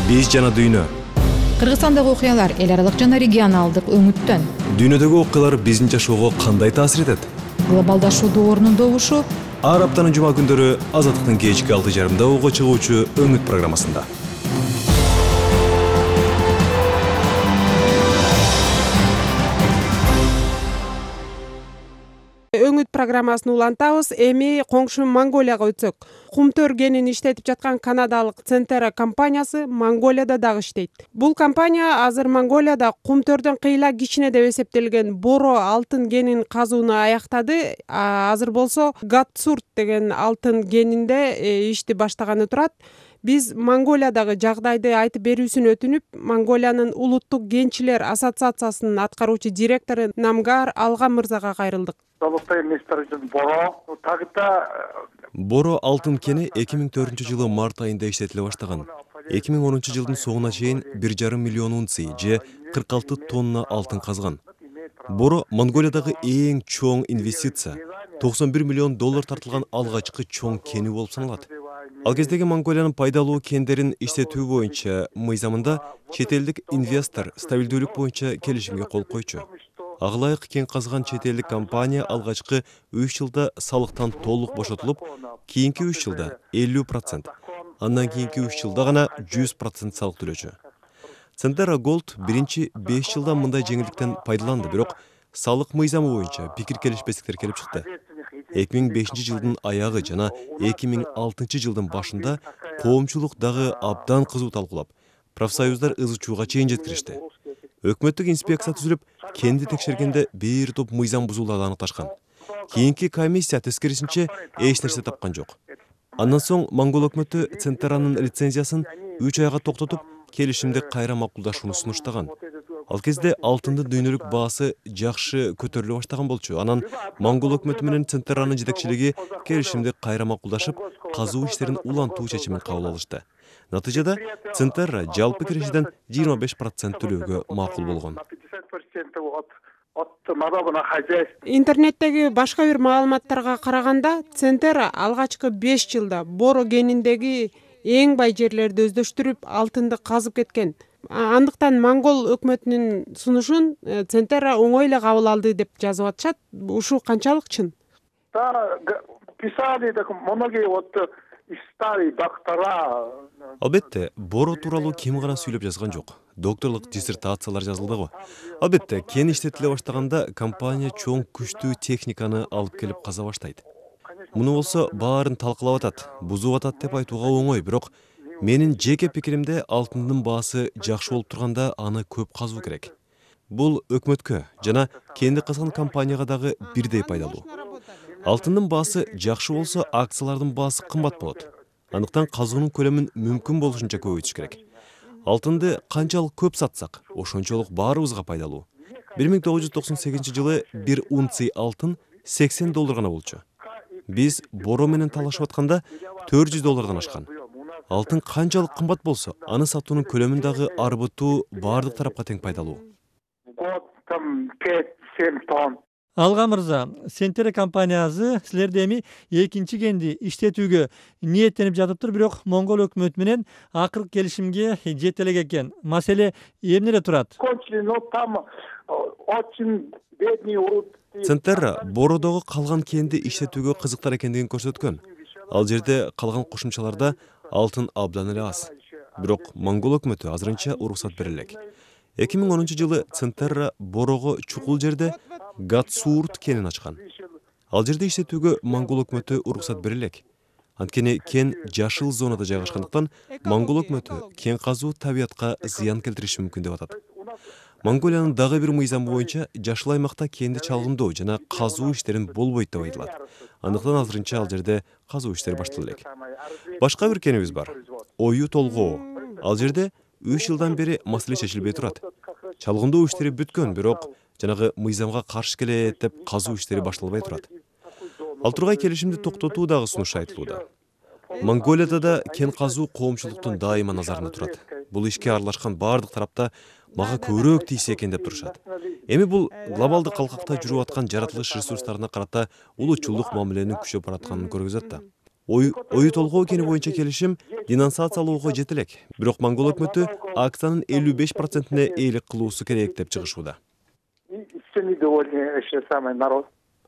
Биз жана дүйнө. Кыргызстандагы окуялар эл аралык жана регионалдык өңүттөн. Дүйнөдөгү окуялар биздин жашоого кандай таасир этет? Глобалдашуу доорунун добушу. Ар аптанын жума күндөрү Азаттыктын кечки 6:30 ого чыгуучу өңүт программасында. Өңүт программасын улантабыз. Эми коңшу Монголияга өтсөк. Кумтөр кенин иштетип жаткан канадалык Centera компаниясы Монголияда дагы иштейт. Бул компания азыр Монголияда кумтөрдөн кыйла кичине деп эсептелген боро алтын кенин казууну аяктады. Азыр болсо Гатсурт деген алтын кенинде ишти баштаганы турат. Биз Монголиядагы жагдайды айтып берүүсүн өтүнүп, Монголиянын улуттук кенчилер ассоциациясынын аткаруучу директору Намгар Алга мырзага кайрылдык. Боро алтын кени 2004-жылы март айында иштетиле баштаган. 2010-жылдын соңуна чейин 1,5 миллион унций же 46 тонна алтын казган. Боро Монголиядагы эң чоң инвестиция. 91 миллион доллар тартылган алгачкы чоң кени болуп саналат. Ал кездеги Монголиянын пайдалуу кендерин иштетүү боюнча мыйзамында чет элдик инвестор стабилдүүлүк боюнча келишимге кол койчу. Ага ылайык кен казган чет элдик компания алгачкы 3 жылда салыктан толук бошотулуп, кийинки 3 жылда 50%, андан кийинки 3 жылда гана 100% салык төлөчү. Centera Gold биринчи 5 жылда мындай жеңилдиктен пайдаланды, бирок салык мыйзамы боюнча пикир келишпестиктер келип чыкты. 2005-жылдын аягы жана 2006-жылдын башында коомчулук дагы абдан кызуу талкуулап, профсоюздар ызы-чууга чейин жеткиришти. Өкмөттүк инспекция түзүлүп, кенди текшергенде бир топ мыйзам бузууларды аныкташкан. Кийинки комиссия тескерисинче эч нерсе тапкан жок. Андан соң Монгол өкмөтү Centera'нын лицензиясын 3 айга токтотуп, келишимди кайра макулдашууну сунуштаган. Ал кезде алтындын дүйнөлүк баасы жакшы көтөрүлө баштаган болчу. Анан Монгол өкмөтү менен Centera'нын жетекчилиги келишимди кайра макулдашып, казуу иштерин улантуу чечимин кабыл алышты. Натыйжада Centera жалпы киришиден 25% төлөөгө макул болгон. Интернеттеги башка бир маалыматтарга караганда, Centera алгачкы 5 жылда боро кениндеги эң бай жерлерди өздөштүрүп, алтынды казып кеткен. Андыктан Монгол өкмөтүнүн сунушун Centera оңой эле кабыл алды деп жазып атышат. Ушул канчалык чын? Албетте, боро тууралуу ким гана сүйлөп жазган жок. Докторлук диссертациялар жазылды го. Албетте, кен иштетиле баштаганда компания чоң күчтүү техниканы алып келип каза баштайт. Муну болсо баарын талкалап атат, бузуп атат деп айтууга оңой, бирок менин жеке пикиримде алтындын баасы жакшы болуп турганда аны көп казуу керек. Бул өкмөткө жана кенди казган компанияга дагы бирдей пайдалуу. Алтындын баасы жакшы болсо, акциялардын баасы кымбат болот. Андыктан казуунун көлөмүн мүмкүн болушунча көбөйтүш керек. Алтынды канчалык көп сатсак, ошончолук баарыбызга пайдалуу. 1998-жылы 1 унций алтын 80 доллар гана болчу. Биз боро менен талашып атканда 400 доллардан ашкан. Алтын канчалык кымбат болсо, аны сатуунун көлөмүн дагы арбытуу баардык тарапка тең пайдалуу. Алга мырза, Centera компаниясы силерди эми экинчи кенди иштетүүгө ниеттенип жатыптыр, бирок Монгол өкмөтү менен акыркы келишимге жете элек экен. Маселе эмнеде турат? Centera бородогу калган кенди иштетүүгө кызыктар экендигин көрсөткөн. Ал жерде калган кошумчаларда алтын абдан эле аз. Бирок Монгол өкмөтү азырынча уруксат бере элек. 2010-жылы Centera борого чукул жерде Гатсурт кенин ачкан. Ал жерде иштетүүгө Монгол өкмөтү уруксат бере элек. Анткени кен жашыл зонада жайгашкандыктан Монгол өкмөтү кен казуу табиятка зыян келтириши мүмкүн деп атат. Монголиянын дагы бир мыйзамы боюнча жашыл аймакта кенди чалгындоо жана казуу иштерин болбойт деп айтылат. Андыктан азырынча ал жерде казуу иштери башталды элек. Башка бир кенибиз бар. Ою толгоо. Ал жерде 3 жылдан бери маселе чечилбей турат. Чалгындоо иштери бүткөн, бирок жанагы мыйзамга каршы келет деп казуу иштери башталбай турат. Ал тургай келишимди токтотуу дагы сунушу айтылууда. Монголияда да кен казуу коомчулуктун дайыма назарында турат. Бул ишке аралашкан баардык тарапта мага көбүрөөк тийсе экен деп турушат. Эми бул глобалдык калкакта жүрүп аткан жаратылыш ресурстарына карата улутчулдук мамиленин күчөп баратканын көргөзөт да. Ою толгоо кени боюнча келишим денонсациялоого жете элек. Бирок Монгол өкмөтү акциянын 55%-не ээлик кылуусу керек деп чыгышууда.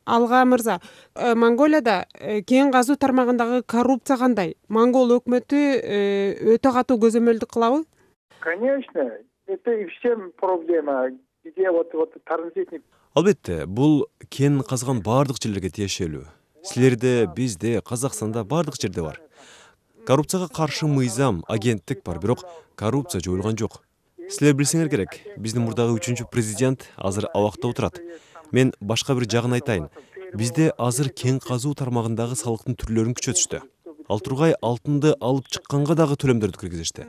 Алга мырза, Монголияда кен казуу тармагындагы коррупция кандай? Монгол өкмөтү өтө катуу көзөмөлдүк кылабы? Конечно, это и всем проблема, где вот транзитник. Албетте, бул кен казган бардык жерлерге тиешелүү. Силерде, бизде, Казакстанда бардык жерде бар. Коррупцияга каршы мыйзам, агенттик бар, бирок коррупция жоюлган жок. Силер билсеңер керек, биздин мурдагы 3-чү президент азыр абакта отурат. Мен башка бир жагын айтайын. Бизде азыр кен казуу тармагындагы салыктын түрлөрүн күчөтүштү. Ал тургай алтынды алып чыкканга дагы төлөмдөрдү киргизишти.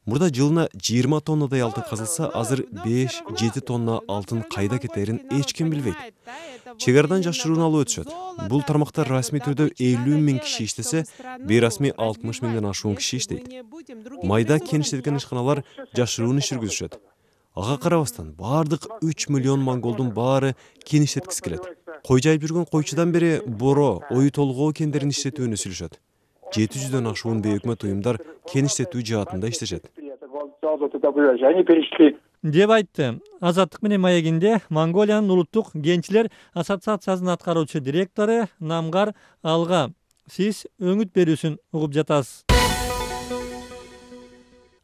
Мурда жылына 20 тоннадай алтын казылса, азыр 5-7 тонна алтын кайда кетерин эч ким билбейт. Чегарадан жашыруун алып өтүшөт. Бул тармакта расмий түрдө 50 миң киши иштесе, бейрасмий 60 миңден ашуун киши иштейт. Майда кен иштеткен ишканалар жашыруун иш жүргүзүшөт. Ага карабастан бардык 3 миллион монголдун баары кен иштеткиси келет. Кой жайып жүргөн койчудан бери боро, ою толгоо кендерин иштетүүнү сүйлөшөт. 700дөн ашуун бейөкмөт уюмдар кен иштетүү жаатында иштешет. Деп айтты. Азаттык менен маегинде Монголиянын улуттук кенчилер ассоциациясынын аткаруучу директору Намгар Алга. Сиз өңүт берүүсүн угуп жатасыз.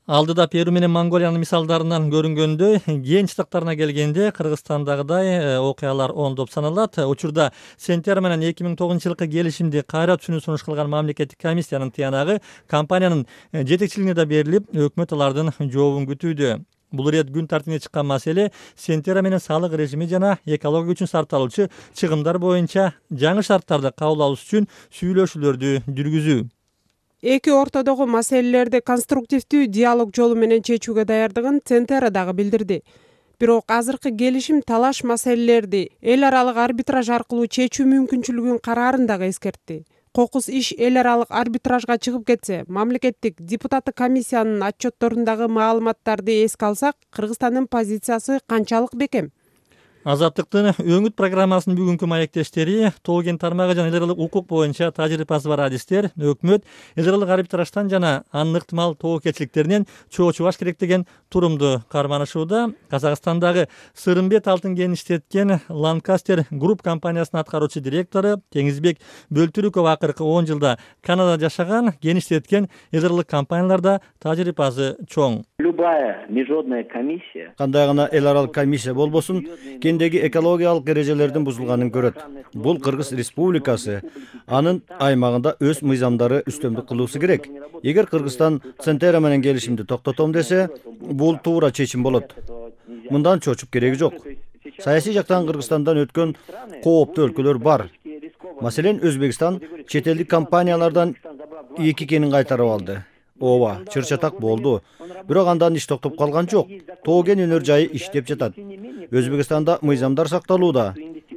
Алдыда Перу менен Монголиянын мисалдарынан көрүнгөндөй, кен чытыктарына келгенде Кыргызстандагыдай окуялар оңдоп саналат. Учурда Сентера менен 2009-жылкы келишимди кайра түшүнүү сунуш кылган мамлекеттик комиссиянын тыянагы компаниянын жетекчилигине да берилип, өкмөт алардын жообун күтүүдө. Бул ирет күн тартибине чыккан маселе Сентера менен салык режими жана экология үчүн сарпталуучу чыгымдар боюнча жаңы шарттарды кабыл алуу үчүн сүйлөшүүлөрдү жүргүзүү. Эки ортодогу маселелерди конструктивдүү диалог жолу менен чечүүгө даярдыгын Сентера дагы билдирди. Бирок азыркы келишим талаш маселелерди эл аралык арбитраж аркылуу чечүү мүмкүнчүлүгүн караарын дагы эскертти. Кокус иш эл аралык арбитражга чыгып кетсе, мамлекеттик депутаттык комиссиянын отчетторундагы маалыматтарды эске алсак, Кыргызстандын позициясы канчалык бекем? Азаттыктын өңүт программасынын бүгүнкү маектештери тоо кен тармагы жана эл аралык укук боюнча тажрыйбасы бар адистер өкмөт эл аралык арбитраждан жана анын ыктымал тобокелчиликтеринен чоочубаш керек деген турумду карманышууда. Казакстандагы Сырымбет алтын кенин иштеткен Lancaster Group компаниясынын аткаруучу директору Теңизбек Бөлтүрүков акыркы 10 жылда Канадада жашаган, кен иштеткен эл аралык компанияларда тажрыйбасы чоң. Любая международная комиссия, кандай гана эл аралык комиссия болбосун, кендеги экологиялык эрежелердин бузулганын көрөт. Бул Кыргыз Республикасы анын аймагында өз мыйзамдары үстөмдүк кылуусу керек. Эгер Кыргызстан Сентера менен келишимди токтотом десе, бул туура чечим болот. Мындан чочуп кереги жок. Саясий жактан Кыргызстандан өткөн кооптуу өлкөлөр бар. Маселен, Өзбекстан чет элдик компаниялардан 2 кенин кайтарып алды. Ооба, чыр-чатак болду. Бирок андан иш токтоп калган жок. Тоо кен өнөр жайы иштеп жатат. Өзбекстанда мыйзамдар сакталууда.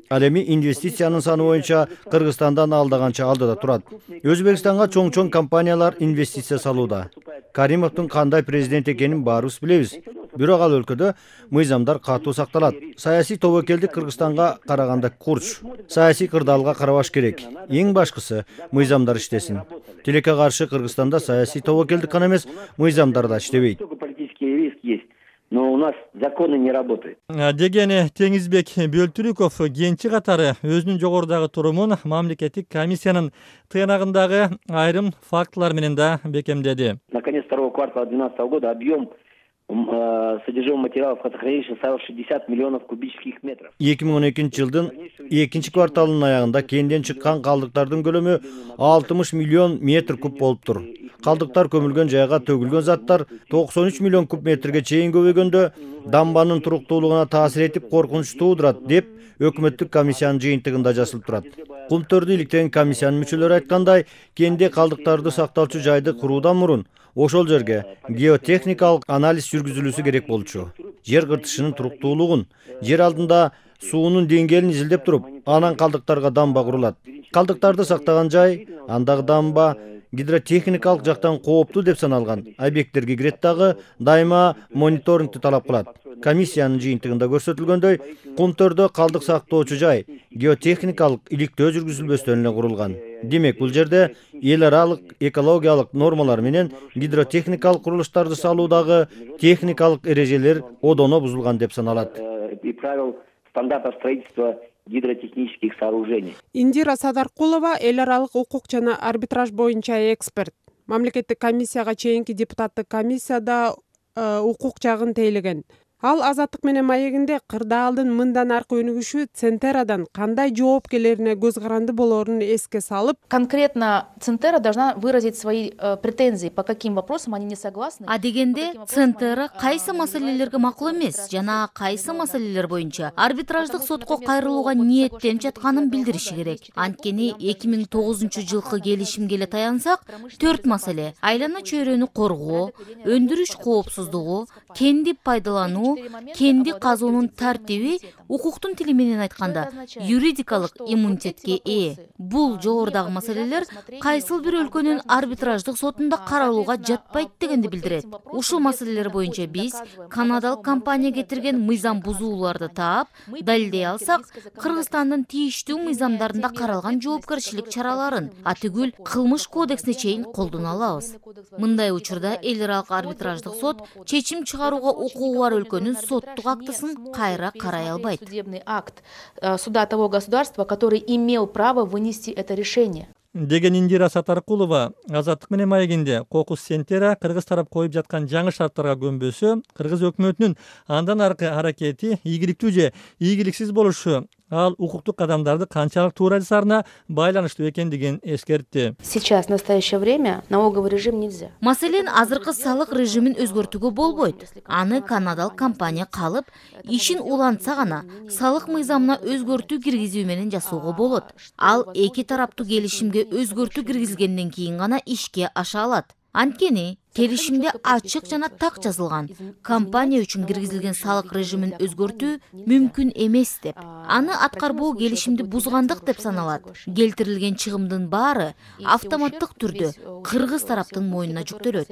Ал эми инвестициянын саны боюнча Кыргызстандан алдыганча алдыда турат. Өзбекстанга чоң компаниялар инвестиция салууда. Каримовдун кандай президент экенин баарыбыз билебиз. Бирок ал өлкөдө мыйзамдар катуу сакталат. Саясий тобокелдик Кыргызстанга караганда курч. Саясий кырдаалга карабаш керек. Эң башкысы мыйзамдар иштесин. Тилекке каршы Кыргызстанда саясий тобокелдик гана эмес, мыйзамдар да иштебейт. Но у нас законы не работают. Деген Теңизбек Бөлтүрүков кенчи катары өзүнүн жогорудагы турумун мамлекеттик комиссиянын тыянагындагы айрым фактылар менен да бекемдеди. На конец второго квартала 2012 года объем содержимого материалов хранилища составил 60 миллионов кубических метров. 2012-жылдын 2 кварталынын аягында кенден чыккан калдыктардын көлөмү 60 миллион метр куб болуптур. Калдыктар көмүлгөн жайга төгүлгөн заттар 93 миллион куб метрге чейин көбөйгөндө дамбанын туруктуулугуна таасир этип коркунуч туудурат деп өкмөттүк комиссиянын жыйынтыгында жазылып турат. Кумтөрдү иликтеген комиссиянын мүчөлөрү айткандай, кенде калдыктарды сактоочу жайды куруудан мурун ошол жерге геотехникалык анализ жүргүзүлүүсү керек болчу. Жер кыртышынын туруктуулугун, жер алдында суунун деңгээлин изилдеп туруп, анан калдыктарга дамба курулат. Калдыктарды сактаган жай, андагы дамба гидротехникалык жактан кооптуу деп саналган объекттерге кирет дагы дайыма мониторингди талап кылат. Комиссиянын жыйынтыгында көрсөтүлгөндөй, Кумтөрдө калдык сактоочу жай геотехникалык иликтөө жүргүзүлбөстөн эле курулган. Демек, бул жерде эл аралык экологиялык нормалар менен гидротехникалык курулуштарды салуудагы техникалык эрежелер одоно бузулган деп саналат. И правил стандартов строительства гидротехнических сооружений. Индира Садаркулова эл аралык укук жана арбитраж боюнча эксперт. Мамлекеттик комиссияга чейинки депутаттык комиссияда укук жагын тейлеген. Ал Азаттык менен маегинде кырдаалдын мындан аркы өнүгүшү Центерадан кандай жоопкерлерине көз каранды болорун эске салып, конкретно Центера должна выразить свои претензии, по каким вопросам они не согласны. А дегенде Центера кайсы маселелерге макул эмес жана кайсы маселелер боюнча арбитраждык сотко кайрылууга ниеттенип жатканын билдириши керек. Анткени 2009-жылкы келишимге эле таянсак, 4 маселе: айлана чөйрөнү коргоо, өндүрүш коопсуздугу, кенди пайдалануу, кенди казуунун тартиби, укуктун тили менен айтканда юридикалык иммунитетке ээ. Бул жогорудагы маселелер кайсыл бир өлкөнүн арбитраждык сотунда каралууга жатпайт дегенди билдирет. Ушул маселелер боюнча биз канадалык компания кетирген мыйзам бузууларды таап, далилдей алсак, Кыргызстандын тийиштүү мыйзамдарында каралган жоопкерчилик чараларын, атүгүл кылмыш кодексине чейин колдоно алабыз. Мындай учурда эл аралык арбитраждык сот чечим чыгарууга укугу бар өлкөнүн соттук актысын кайра карай албайт. Судебный акт суда того государства, который имел право вынести это решение. Деген Индира Сатаркулова Азаттык менен маегинде Кокус Центера кыргыз тарап коюп жаткан жаңы шарттарга көнбөсө, кыргыз өкмөтүнүн андан аркы аракети ийгиликтүү же ийгиликсиз болушу, ал укуктук кадамдарды канчалык туура жасаарына байланыштуу экендигин эскертти. Сейчас, в настоящее время, налоговый режим нельзя. Маселен, азыркы салык режимин өзгөртүүгө болбойт. Аны канадалык компания калып, ишин улантса гана салык мыйзамына өзгөртүү киргизүү менен жасоого болот. Ал эки тараптуу келишимге өзгөртүү киргизгенден кийин гана ишке аша алат. Анткени келишимде ачык жана так жазылган: компания үчүн киргизилген салык режимин өзгөртүү мүмкүн эмес деп. Аны аткарбоо келишимди бузгандык деп саналат. Келтирилген чыгымдын баары автоматтык түрдө кыргыз тараптын мойнуна жүктөлөт.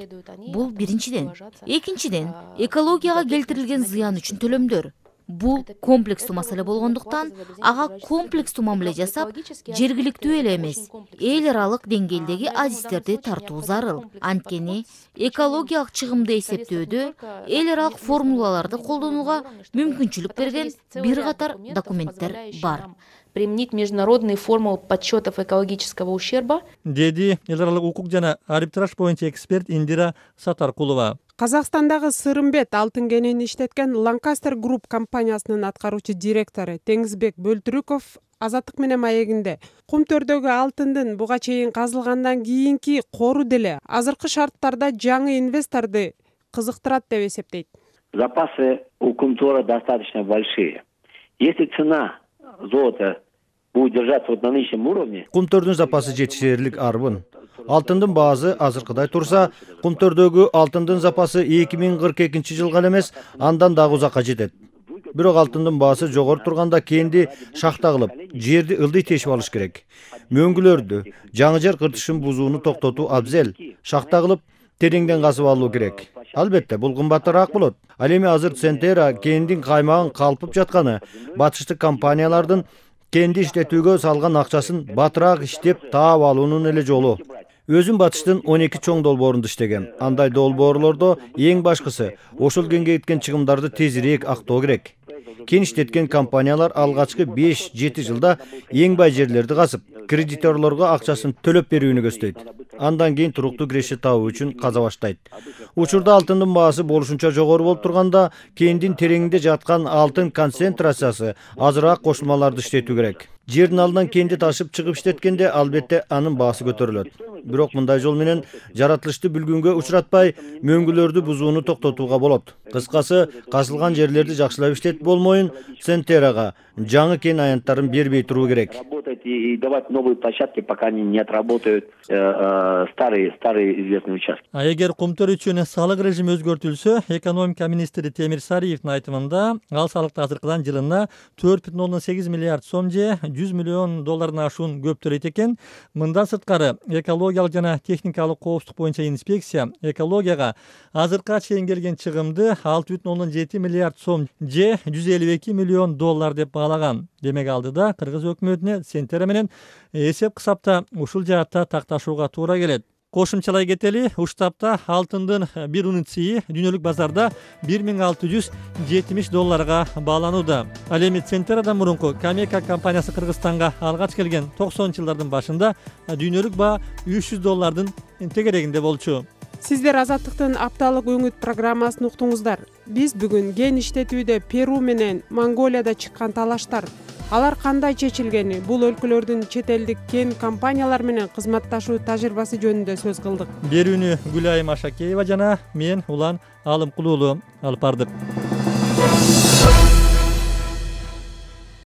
Бул биринчиден. Экинчиден, экологияга келтирилген зыян үчүн төлөмдөр. Бул комплекстүү маселе болгондуктан, ага комплекстүү мамиле жасап, жергиликтүү эле эмес, эл аралык деңгээлдеги адистерди тартуу зарыл. Анткени экологиялык чыгымды эсептөөдө эл аралык формулаларды колдонууга мүмкүнчүлүк берген бир катар документтер бар. Применить международные формулы подсчетов экологического ущерба, деди эл аралык укук жана арбитраж боюнча эксперт Индира Сатаркулова. Казакстандагы Сырымбет алтын кенени иштеткен Lancaster Group компаниясынын аткаруучу директору Теңизбек Бөлтүрүков Азаттык менен маегинде Кумтөрдөгү алтындын буга чейин казылгандан кийинки кору деле азыркы шарттарда жаңы инвесторду кызыктырат деп эсептейт. Запасы у Кумтора достаточно большие. Если цена золота будет держаться вот на нынешнем уровне, Кумтөрдүн запасы жетишээрлик арбын. Алтындын баасы азыркыдай турса, Кумтөрдөгү алтындын запасы 2042-жылга эмес, андан дагы узакка жетет. Бирок алтындын баасы жогору турганда кенди шахта кылып, жерди ылдый тешип алыш керек. Мөңгүлөрдү, жаңы жер кыртышын бузууну токтотуу абзел. Шахта кылып, тереңден казып алуу керек. Албетте, бул кымбатыраак болот. Ал эми азыр Центера кендин каймагын калпып жатканы, батыштык компаниялардын кенди иштетүүгө салган акчасын батыраак иштеп таап алуунун эле жолу. Өзүм батыштын 12 чоң долбоорунда иштегем. Андай долбоорлордо эң башкысы ошол кенге кеткен чыгымдарды тезирээк актоо керек. Кен иштеткен компаниялар алгачкы 5-7 жылда эң бай жерлерди казып, кредиторлорго акчасын төлөп берүүнү көздөйт. Андан кийин туруктуу киреше табуу үчүн каза баштайт. Учурда алтындын баасы болушунча жогору болуп турганда, кендин тереңинде жаткан алтын концентрациясы азыраак кошулмаларды иштетүү керек. Жердин алдынан кенди ташып чыгып иштеткенде албетте анын баасы көтөрүлөт. Бирок мындай жол менен жаратылышты бүлгүнгө учуратпай, мөңгүлөрдү бузууну токтотууга болот. Кыскасы, казылган жерлерди жакшылап иштетип болмоюн Центерага жаңы кен аянттарын бербей туруу керек. Работать и давать новые площадки, пока они не отработают старые известные участки. А эгер Кумтөр үчүн салык режими өзгөртүлсө, экономика министри Темир Сариевдин айтымында, ал салыкты азыркыдан жылына 4,8 миллиард сом же $100 миллион ашуун көп төлөйт экен. Мындан сырткары, экологиялык жана техникалык коопсуздук боюнча инспекция экологияга азыркыга чейин келген чыгымды 6,7 миллиард сом же $152 миллион деп баалаган. Демек алдыда кыргыз өкмөтүнө Центера эксперттери менен эсеп кысапта ушул жаатта такташууга туура келет. Кошумчалай кетели, уштапта алтындын бир унцийи дүйнөлүк базарда $1,670 бааланууда. Ал эми Центерадан мурунку Камека компаниясы Кыргызстанга алгач келген 90-жылдардын башында дүйнөлүк баа $300 тегерегинде болчу. Сиздер Азаттыктын апталык өңүт программасын уктуңуздар. Биз бүгүн ген иштетүүдө Перу менен Монголияда чыккан талаштар, алар кандай чечилгени, бул өлкөлөрдүн чет элдик кен компаниялар менен кызматташуу тажрыйбасы жөнүндө сөз кылдык. Берүүнү Гүлайым Ашакеева жана мен Улан Алымкулуулу алып бардык.